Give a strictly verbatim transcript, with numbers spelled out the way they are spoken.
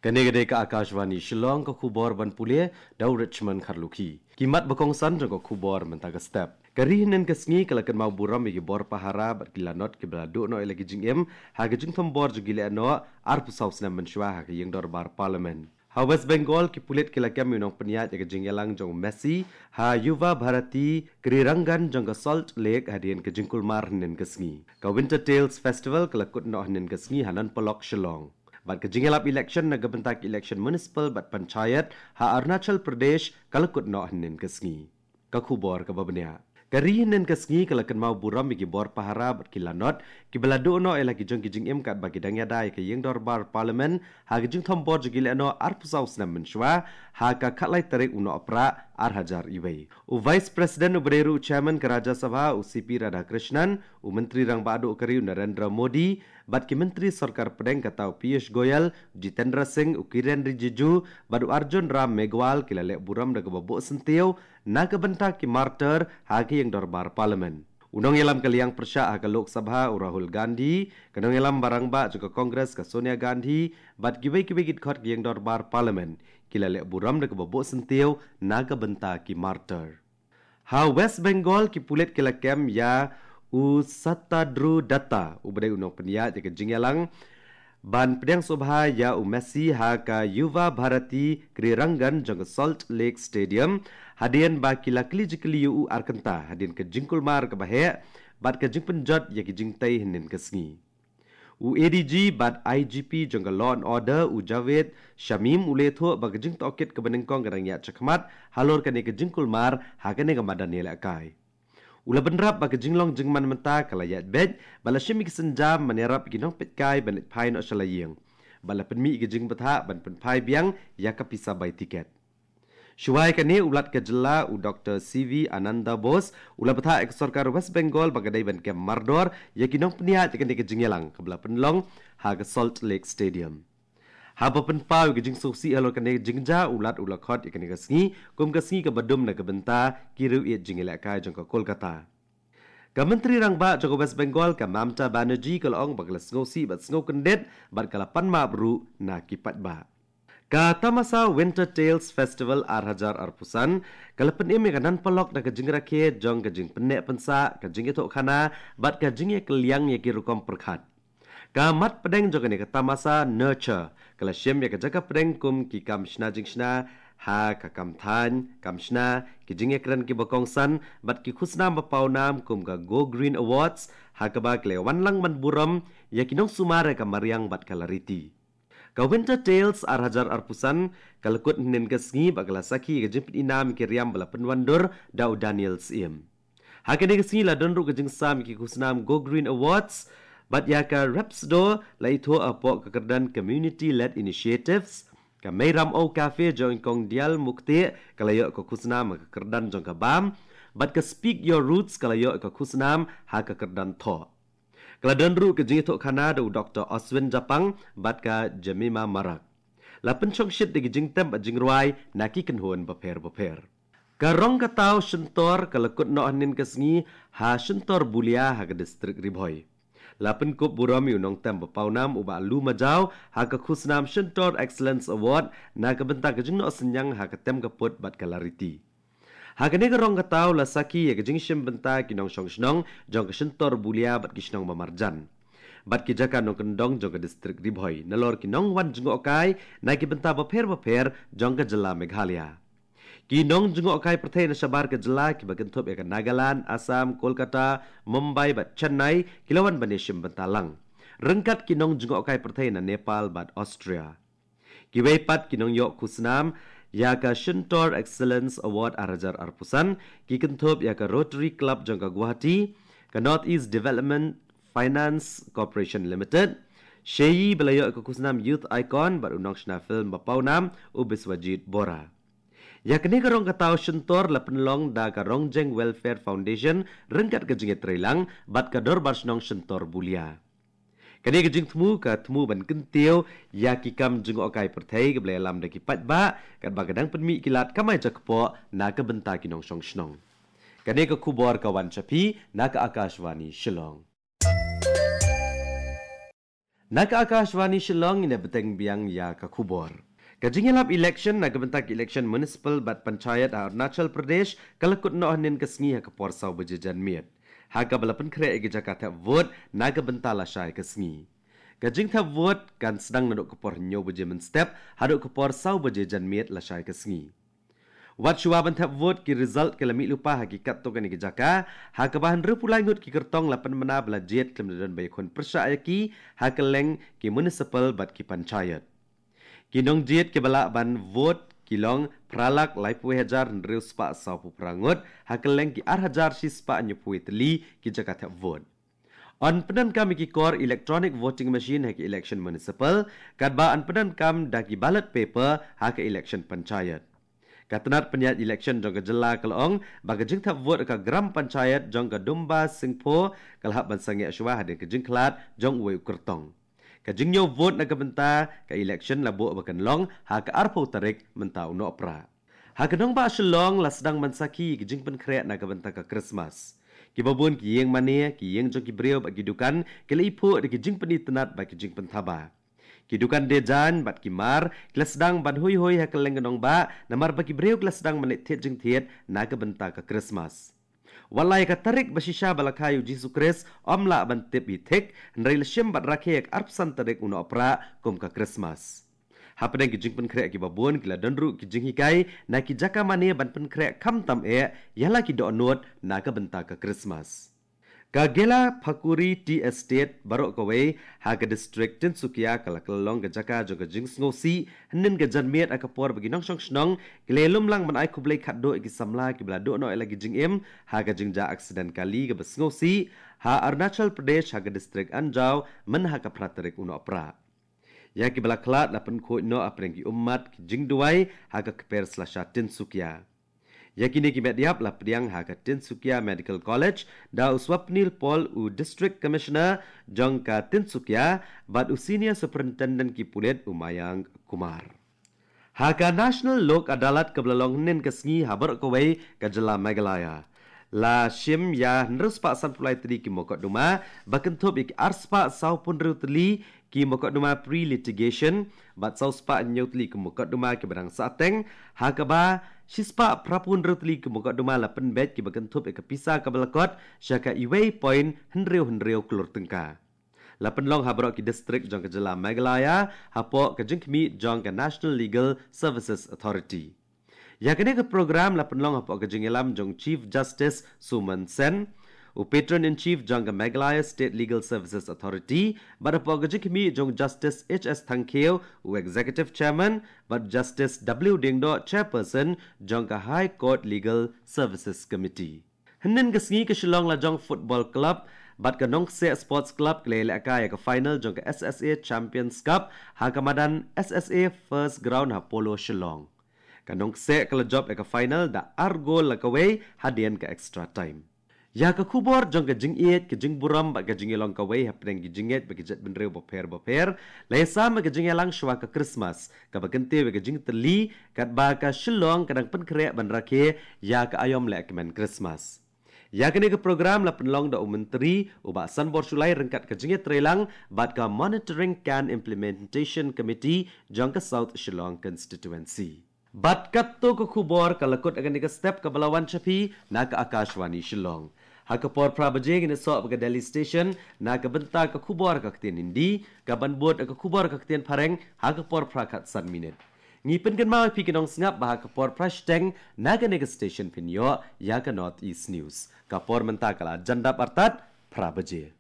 Kane ka dei ka Akashvani Shillong, ka khubor ban pule da u Richmond Kharlukhi. Ki mat ba kongsan jong ka khubor mynta ka step. Ka ri hynnin ka sngi ka la kynmaw burom ïa ki bor pahara bad ki lanot kiba la duh noh ïa la ki jingim ha ka jingthombor jong ki lehnoh arphew saw snem mynshuwa ha ka ïing dorbar Parliament. Ha West Bengal ki pulit ki la kem ïa u nongpynïaid ïa ka jingïalang jong u Messi ha Yuva Bharati Krirangan jong ka Salt Lake hadien ka jingkulmar hynnin ka sngi. Ka Winter Tales Festival ka la kut noh hynnin ka sngi ha Nan Polok, Shillong. Bad ka jingïalap election na ka bynta ka election municipal bad panchayat ha Arunachal Pradesh ka la kut noh hynnin ka sngi. Ka khubor kaba bniah. Ka ri hynnin ka sngi ka la kynmaw burom ïa ki bor pahara bad ki lanot kiba la duh noh ïa la ki jong ki jingim katba ki dang ïada ïa ka ïing dorbar Parliament ha ka jingthombor jong ki lehnoh arphew saw snem mynshuwa ha ka khatlai tarik u Nohprah ar hajar wei. U Vice President uba dei ruh u Chairman ka Rajya Sabha, u C P Radhakrishnan, u Myntri Rangbah Duh ka ri u Narendra Modi bad ki Myntri Sorkar Pdeng kata u Piyush Goyal, Jitendra Singh, u Kiren Rijiju bad u Arjun Ram Meghwal ki la leh burom da kaba buh syntiew na ka bynta ki martyr ha ka ïing dorbar Parliament. U nongïalam ka liang pyrshah ha ka Lok Sabha u Rahul Gandhi, ka nongïalam ba rangbah jong ka Congress ka Sonia Gandhi bad kiwei kiwei ki dkhot ka ïing dorbar Parliament ki la leh burom da kaba buh syntiew na ka bynta ki martyr. Ha West Bengal ki pulit ki la kem ïa u Satadru Datta uba dei u nongpynïaid ïa ka jingïalang ban pdiang sngewbha ïa u Messi ha ka Yuva Bharati Krirangan jong ka Salt Lake Stadium hadien ba ki la kylli jingkylli ïa u ar kynta hadien ka jingkulmar kaba heh bad ka jingpynjot ïa ki jingtei hynnin ka sngi. U A D G bad I G P jong ka Law and Order u Javed Shamim u la ïathuh ba ka jingtohkit kaba nyngkong ka dang ïaid shakhmat halor kane ka jingkulmar ha kane ka madan ïalehkai. U la bynrap ba ka jinglong jingman mynta ka la ïaid beit bad la shim ïa ki sienjam ban ïarap ïa ki nongpeitkai ban leit phai noh sha la ïing bad la pynmih ïa ka jingbthah ban pynphai biang ïa ka pisa bai tiket. Shuwa ïa kane u Lat ka jylla u Doctor C V Ananda Bose u la bthah ïa ka sorkar West Bengal ba ka dei ban kem mardor ïa ki nongpynïaid ïa kane ka jingïalang kaba la pynlong ha ka Salt Lake Stadium. Haba pynpaw ïa ka jingsngewsih halor kane ka jingjia u Lat u la khot ïa kane ka sngi kum ka sngi kaba dum na ka bynta ki riew ïeit jingïalehkai jong ka Kolkata. Ka Myntri Rangbah jong ka West Bengal ka Mamata Banerjee ka la ong ba ka la sngewsih bad sngewkyndit bad ka la pan map ruh na ki paidbah. Ka Tamasa Winter Tales Festival ar hajar arphew san ka la pynim ïa ka Nan Polok da ka jingrakhe jong ka jingpynneh pynsah, ka jingïathuhkhana bad ka jingïakylliang ïa ki rukom pyrkhat. Ka mat pdeng jong kane ka Tamasa Nurture ka la shim ïa ka jaka pdeng kum ki kam shna jingshna ha ka kam thaiñ, kam shna, ki jingïakren kiba kongsan bad ki khusnam ba pawnam kum ka Go Green Awards ha kaba ki la wan lang ban burom ïa ki nongsumar ïa ka mariang bad ka lariti. Ka Winter Tales ar hajar arphew san ka la kut hynnin ka sngi bad ka la sakhi ïa ka jingpyni nam ïa ki riam ba la pynwandur da u Daniel Syiem. Ha kane ka sngi la don ruh ka jingsam ïa ki khusnam Go Green Awards bad ïa ka REPSDO la ithuh hapoh ka kyrdan Community Led Initiatives. Ka Meiram O Cafe jong i Kong Dial Mukte ka la ïoh ka khusnam ha ka kyrdan jong ka bam bad ka Speak Your Roots ka la ïoh ka khusnam ha ka kyrdan thoh. Ka la don ruh ka jingïathuhkhana da u Doctor Oswin Japang bad ka Jemima Marak. La pynshongshit da ki jingtem bad jingrwai na ki kynhun bapher bapher. Ka rong ka taw shyntor ka la kut noh hynnin ka sngi ha Shyntor Bulia ha ka distrik Ri Bhoi. La pynkup burom ïa u nongtem ba pawnam u Bah Lu Majaw ha ka khusnam Shyntor Excellence Award na ka bynta ka jingnoh synñiang ha ka tem ka put bad ka lariti. Ha kane ka rong ka taw la sakhi ïa ka jingshim bynta ki nongshong shnong jong ka Shyntor Bulia bad ki shnong ba marjan bad ki jaka nongkyndong jong ka distrik Ri Bhoi nalor ki nongwan jngohkai na ki bynta bapher bapher jong ka jylla Meghalaya. Ki nongjngohkai pyrthei na shabar ka jylla kiba kynthup ïa ka Nagaland, Assam, Kolkata, Mumbai bad Chennai ki la wan ban ïashim bynta lang ryngkat ki nongjngohkai pyrthei na Nepal bad Austria. Kiwei pat ki nongïoh khusnam ïa ka Shyntor Excellence Award ar hajar arphew san ki kynthup ïa ka Rotary Club jong ka Guwahati, ka North East Development Finance Corporation Limited, Sheyi ba la ïoh ka khusnam Youth Icon bad u nongshna film ba pawnam u Biswajit Bora. Ïa kane ka rong ka taw shyntor la pynlong da ka Rongjeng Welfare Foundation ryngkat ka jingïatreilang bad ka Dorbar Shnong Shyntor Bulia. Kane ka jingthmu ka thmu ban kyntiew ïa ki kam jngohkai pyrthei kaba la ïalam da ki paidbah katba ka dang pynmih ki lad kamai jakpoh na ka bynta ki nongshong shnong. Kane ka khubor ka wan sha phi na ka Akashvani Shillong. Na ka Akashvani Shillong, ngin ïa bteng biang ïa ka khubor. Ka jingïalap election na ka bynta ka election municipal bad panchayat ha Arunachal Pradesh ka la kut noh hynnin ka sngi ha ka por saw baje janmiet, ha kaba la pynkhreh ïa ki jaka thep vote na ka bynta lashai ka sngi. Ka jingthep vote kan sdang naduh ka por hynñiew baje mynstep haduh ka por saw baje janmiet lashai ka sngi. Wat shuwa ban thep vote, ki result ki la mih lypa ha ki katto katne ki jaka, ha kaba hynriewphew lai ngut ki kyrtong la pynbna ba la jied khlem da don ba ïakhun pyrshah ïa ki ha kylleng ki municipal bad ki panchayat. Ki nongjied kiba lah ban vote ki long phra lak laiphew hajar hynriew spah sawphew phra ngut ha kylleng ki ar hajar shi spah hynñiewphew tylli ki jaka thep vote. Yn pyndonkam ïa ki kor electronic voting machine ha ka election municipal, katba yn pyndonkam da ki ballot paper ha ka election panchayat. Ka tnat pynïaid election jong ka jylla ka la ong ba ka jingthep vote ha ka gram panchayat jong ka Dumba Singpho ka la hap ban sangeh shuwa hadien ka jingkhlad jong uwei u kyrtong. Ka jingñiew vote na ka bynta ka election la buh ba kan long ha ka arphew tarik mynta u Nohprah. Ha ka nongbah Shillong la sdang ban sakhi ïa ka jingpynkhreh na ka bynta ka Christmas. Kiba bun ki ïing mane, ki ïing jong ki briew bad ki dukan ki la iphuh da ki jingpynitynnad bad ki jingpynthaba. Ki dukan dejaiñ bad ki mar ki la sdang ban huihui ha kylleng ka nongbah, namar ba ki briew ki la sdang ban leit thied jingthied na ka bynta ka Christmas. Wat la ïa ka tarik ba shisha ba la kha ïa u Jisu Khrist ym lah ban tip hi thik, hynrei la shim bad rakhe ïa ka arphew san tarik u Nohprah kum ka Christmas. Hapdeng ki jingpynkhreh kiba bun, ki la don ruh ki jinghikai na ki jaka mane ban pynkhreh khamtam eh ïa la ki dohnud na ka bynta ka Christmas. Ka Gela Phakuri Tea Estate baroh kawei ha ka district Tinsukia ka la kylla long ka jaka jong ka jingsngewsih hynnin ka janmiet ha ka por ba ki nongshong shnong ki la ïalum lang ban ai khublei khatduh ïa ki samla kiba la duh noh ïa la ki jingim ha ka jingjia accident kali kaba sngewsih ha Arunachal Pradesh ha ka district Anjaw mynha ka phra tarik u Nohprah. Ïa kiba la khlad la pynkhuid noh hapdeng ki ummat ki jingduwai ha ka kper slasha Tinsukia. Ïa kine ki met ïap la pdiang ha ka Tinsukia Medical College da u Swapnil Paul, u District Commissioner jong ka Tinsukia, bad u Senior Superintendent ki pulit u Mayank Kumar. Ha ka National Lok Adalat kaba la long hynnin ka sngi ha baroh kawei ka jylla Meghalaya, la shim ïa hynriew spah sanphew lai tylli ki mukotduma, ba kynthup ïa ki ar spah sawphew hynriew tylli ki mukotduma pre-litigation bad saw spah hynñiew tylli ki mukotduma kiba dang sahteng, ha kaba shi spah phraphew hynriew tylli ki mukotduma la pynbeit kiba kynthup ïa ka pisa kaba la kot sha ka uwei point hynriew hynriew klur tyngka. La pynlong ha baroh ki district jong ka jylla Meghalaya hapoh ka jingkhmih jong ka National Legal Services Authority. Ïa kane ka program la pynlong hapoh ka jingïalam jong Chief Justice Suman Sen, u Patron in Chief jong ka Meghalaya State Legal Services Authority, bad hapoh ka jingkhmih jong Justice H S Thangkhiew, u Executive Chairman, bad Justice W Diengdoh, Chairperson jong ka High Court Legal Services Committee. Hynnin ka sngi ka Shillong Lajong Football Club bad ka Nongkseh Sports Club ki la ïalehkai ïa ka final jong ka S S A Champions Cup ha ka madan S S A First Ground ha Polo Shillong. Ka Nongkseh ka la jop ïa ka final da ar gol la kawei hadien ka extra time. Ïa ka khubor jong ka jingïeit, ka jingburom bad ka jingïalong kawei hapdeng ki jingngeit bad ki jaitbynriew bapher bapher la ïasam ïa ka jingïalang shuwa ka Christmas, kaba kyntiew ïa ka jingtylli katba ka Shillong ka dang pynkhreh ban rakhe ïa ka aïom lehkmen Christmas. Ïa kane ka program la pynlong da u Myntri u Bah Sanbor Shullai ryngkat ka jingïatreilang bad ka Monitoring Can Implementation Committee jong ka South Shillong Constituency. Bad katto ka khubor ka la kut ha kane ka step kaba la wan sha phi na ka Akashvani Shillong. Ha ka por phra baje ngin ïasoh bad ka Delhi Station na ka bynta ka khubor ka ktien Hindi, kaban bud ka khubor ka ktien Phareng ha ka por phra khatsan minit. Ngi pynkynmaw ïa phi ki nongsngap ba ha ka por phra shiteng na kane ka station phin ïoh ïa ka North East News. Ka por mynta ka la jan dap artat phra baje.